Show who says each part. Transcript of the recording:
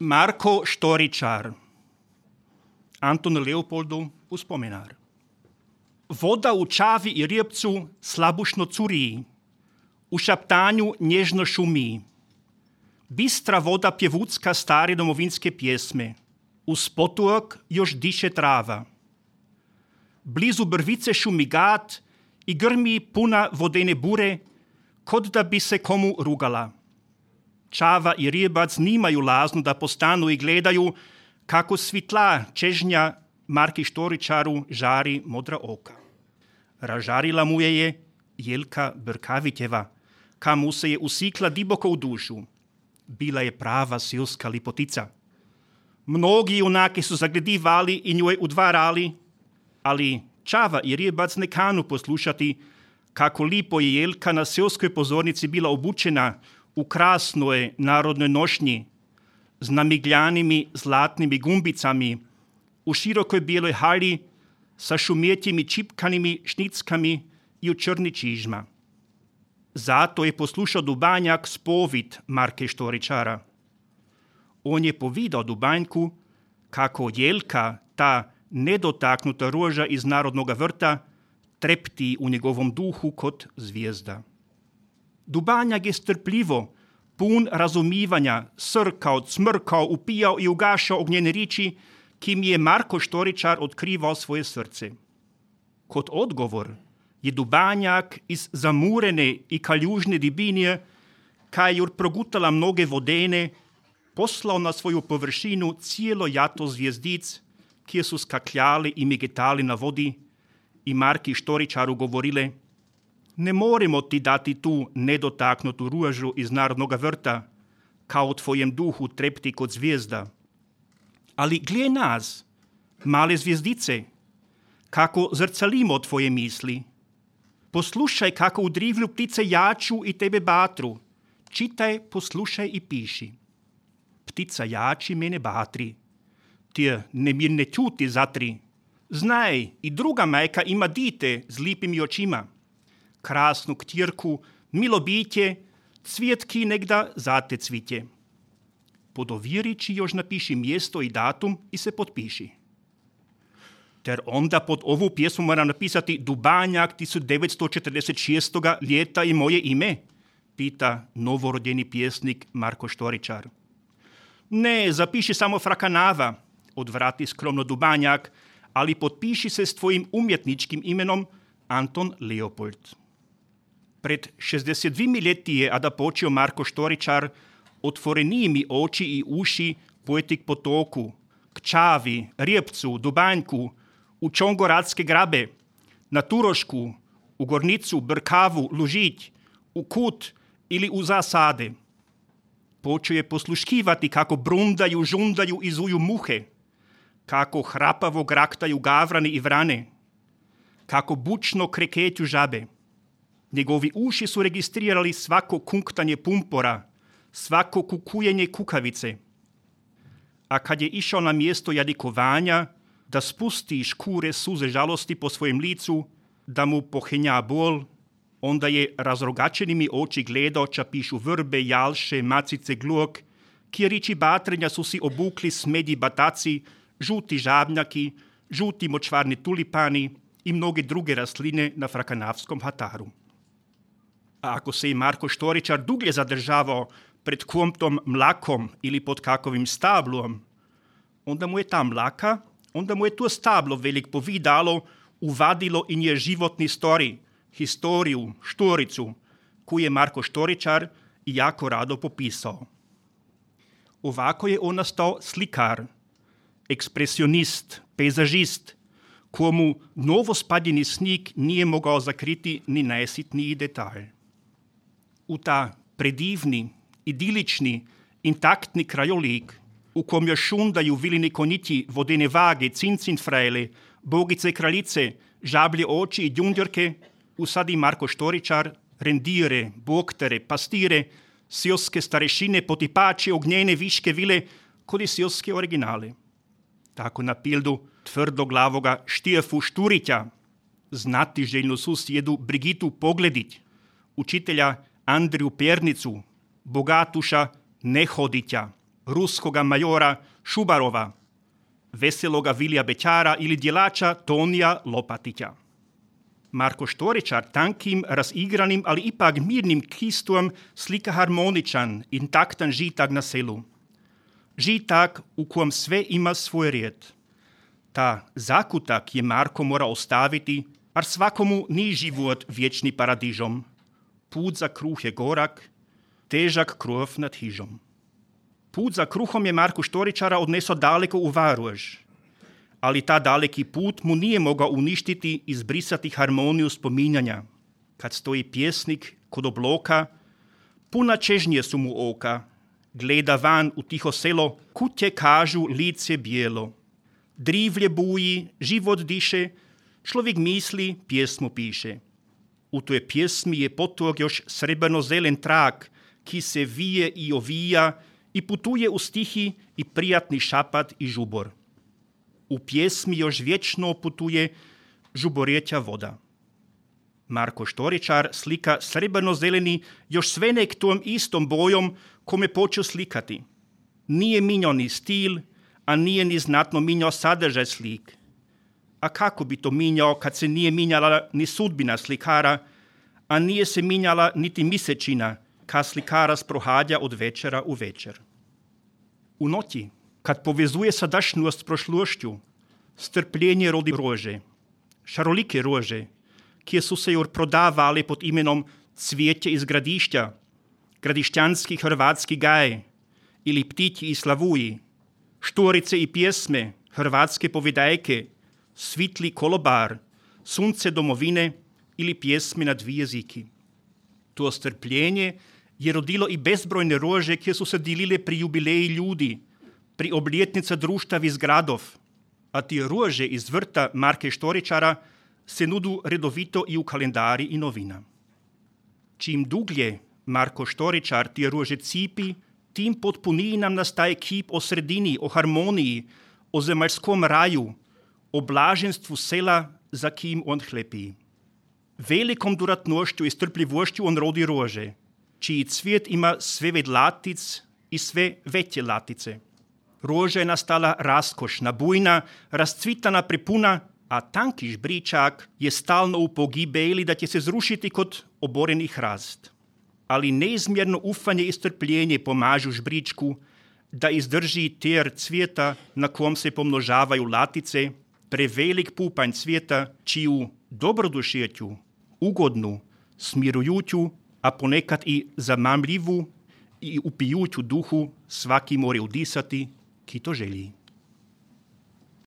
Speaker 1: Marko Štoričar, Anton Leopoldu uspomenar. Voda u čavi i rijepcu slabušno curi, u šaptanju nježno šumi. Bistra voda pjevucka stare domovinske pjesme, uz potok još diše trava. Blizu brvice šumi gat i grmi puna vodene bure, kod da bi se komu rugala. Čava i rijebac nimaju laznu da postanu i gledaju kako svitla čežnja Marki Štoričaru žari modra oka. Ražarila mu je Jelka Brkavitjeva, kamu se je usikla diboko u dušu. Bila je prava silska lipotica. Mnogi junaki su zagledivali i njoj udvarali, ali Čava i rijebac ne kanu poslušati kako lipo je Jelka na silskoj pozornici bila obučena u krasnoj narodnoj nošnji, s namigljanimi zlatnimi gumbicami, u širokoj bijeloj halji, sa šumjetjimi čipkanimi šnickami i u črni čižma. Zato je poslušao Dubanjak spovit Marke Štoričara. On je povidao Dubanjku kako Jelka, ta nedotaknuta roža iz narodnog vrta, trepti u njegovom duhu kod zvijezda. Dubanjak je strpljivo, pun razumivanja, srkao, cmrkao, upijao i ugašao ognjene riči, kim je Marko Štoričar otkrivao svoje srce. Kod odgovor je Dubanjak iz zamurene i kaljužne dibinje, kaj jur progutala mnoge vodene, poslao na svoju površinu cijelo jato zvijezdic, kje su skakljali i migetali na vodi i Marki Štoričaru govorile: ne moremo ti dati tu nedotaknutu ružu iz narodnog vrta, kao tvojem duhu trepti kod zvijezda. Ali gle nas, male zvijezdice, kako zrcalimo tvoje misli. Poslušaj kako u drivlju ptice jaču i tebe batru. Čitaj, poslušaj i piši. Ptica jači, mene batri. Ti nemirne ćuti zatri. Znaj, i druga majka ima dite s lipim očima. Krasnu ktirku, milo bitje, cvjetki negda zate cvitje. Pod ovjerići još napiši mjesto i datum i se potpiši. Ter onda pod ovu pjesmu mora napisati Dubanjak 1946. ljeta i moje ime, pita novorodjeni pjesnik Marko Štoričar. Ne, zapiši samo Frakanava, odvrati skromno Dubanjak, ali potpiši se s tvojim umjetničkim imenom Anton Leopold. Pred 62 ljeti je, a da počeo Marko Štoričar, otvoreniji mi oči i uši pojeti k potoku, k Čavi, Rijepcu, Dubanjku, u Čongoradske grabe, na Turošku, u Gornicu, Brkavu, Lužić, u Kut ili u zasade. Počeo je posluškivati kako brundaju, žundaju i zuju muhe, kako hrapavo graktaju gavrani i vrane, kako bučno krekeću žabe. Njegovi uši su registrirali svako kunktanje pumpora, svako kukujenje kukavice. A kad je išao na mjesto jadikovanja, da spusti škure suze žalosti po svojem licu, da mu pohenja bol, onda je razrogačenimi oči gledao ča pišu vrbe, jalše, macice, gluk, kjerići batrenja su si obukli smedji bataci, žuti žabnjaki, žuti močvarni tulipani i mnoge druge rastline na Frakanavskom hataru. A ako se i Marko Štoričar duglje zadržavao pred kvomtom mlakom ili pod kakovim stablom, onda mu je ta mlaka, onda mu je to stablo velik povidalo, uvadilo i nje životni stori, historiju, štoricu, koju je Marko Štoričar jako rado popisao. Ovako je on nastao slikar, ekspresionist, pejzažist, komu novospadjeni snijeg nije mogao zakriti ni najsitniji detalj. U ta predivni, idilični, intaktni krajolik, u kom još šundaju vilini konjiti, vodene vage, cincinfrajle, bogice kraljice, žablje oči i djundjorke, usadi Marko Štoričar rendire, boktere, pastire, silske starešine, potipače, ognjene viške vile, kod i silske originale. Tako na pildu tvrdoglavoga Štijefu Šturića, znatiželjnu susjedu Brigitu Pogledić, učitelja Andriju Pernicu, bogatuša Nehoditja, ruskoga majora Šubarova, veseloga Vilija Bećara ili djelača Tonija Lopatića. Marko Štoričar tankim, razigranim, ali ipak mirnim kistom slika harmoničan, intaktan žitak na selu. Žitak u kojem sve ima svoj red. Ta zakutak je Marko mora ostaviti, ar svakomu ni život vječni paradižom. Put za kruh je gorak, težak krov nad hižom. Put za kruhom je Marku Štoričara odneso daleko u Varuž, ali ta daleki put mu nije mogao uništiti i izbrisati harmoniju spominjanja. Kad stoji pjesnik kod obloka, puna čežnje su mu oka, gleda van u tiho selo, kutje kažu lice bijelo. Drivlje buji, život diše, človjek misli, pjesmu piše. U toj pjesmi je potog još srebrno-zelen trak, ki se vije i ovija i putuje u stihi i prijatni šapat i žubor. U pjesmi još vječno putuje žuborjeća voda. Marko Štoričar slika srebrno-zeleni još sve nek tom istom bojom kome počeo slikati. Nije minjao ni stil, a nije ni znatno minjao sadržaj slik. A kako bi to minjao kad se nije minjala ni sudbina slikara, a nije se minjala niti misečina, kad slikara sprohadja od večera u večer. U noći, kad povezuje sadašnjost s prošlošću, strpljenje rodi rože, šarolike rože, kje su se joj prodavali pod imenom cvijeće iz gradišća, gradišćanski hrvatski gaj ili ptići i slavuji, štorice i pjesme, hrvatske povedajke, svitli kolobar, sunce domovine ili pjesme na dvije jeziki. To strpljenje je rodilo i bezbrojne rože, kje su se dilile pri jubileji ljudi, pri obljetnica društav iz gradov, a ti rože iz vrta Marke Štoričara se nudu redovito i u kalendari i novina. Čim duglje Marko Štoričar ti rože cipi, tim potpuniji nam nastaje kip o sredini, o harmoniji, o zemaljskom raju, o blaženstvu sela, za kim on hlepi. Velikom duratnošću i strpljivošću on rodi rože, čiji cvijet ima sve ved latic i sve veće latice. Roža je nastala raskošna, bujna, rascvitana, prepuna, a tanki žbričak je stalno u pogibeli da će se zrušiti kod oborenih hrast. Ali neizmjerno ufanje i strpljenje pomažu žbričku da izdrži ter cvijeta na kom se pomnožavaju latice, prevelik pupanj cvijeta, čiju dobrodušeću, ugodnu, smirujuću, a ponekad i zamamljivu i upijuću duhu svaki more udisati, ki to želi.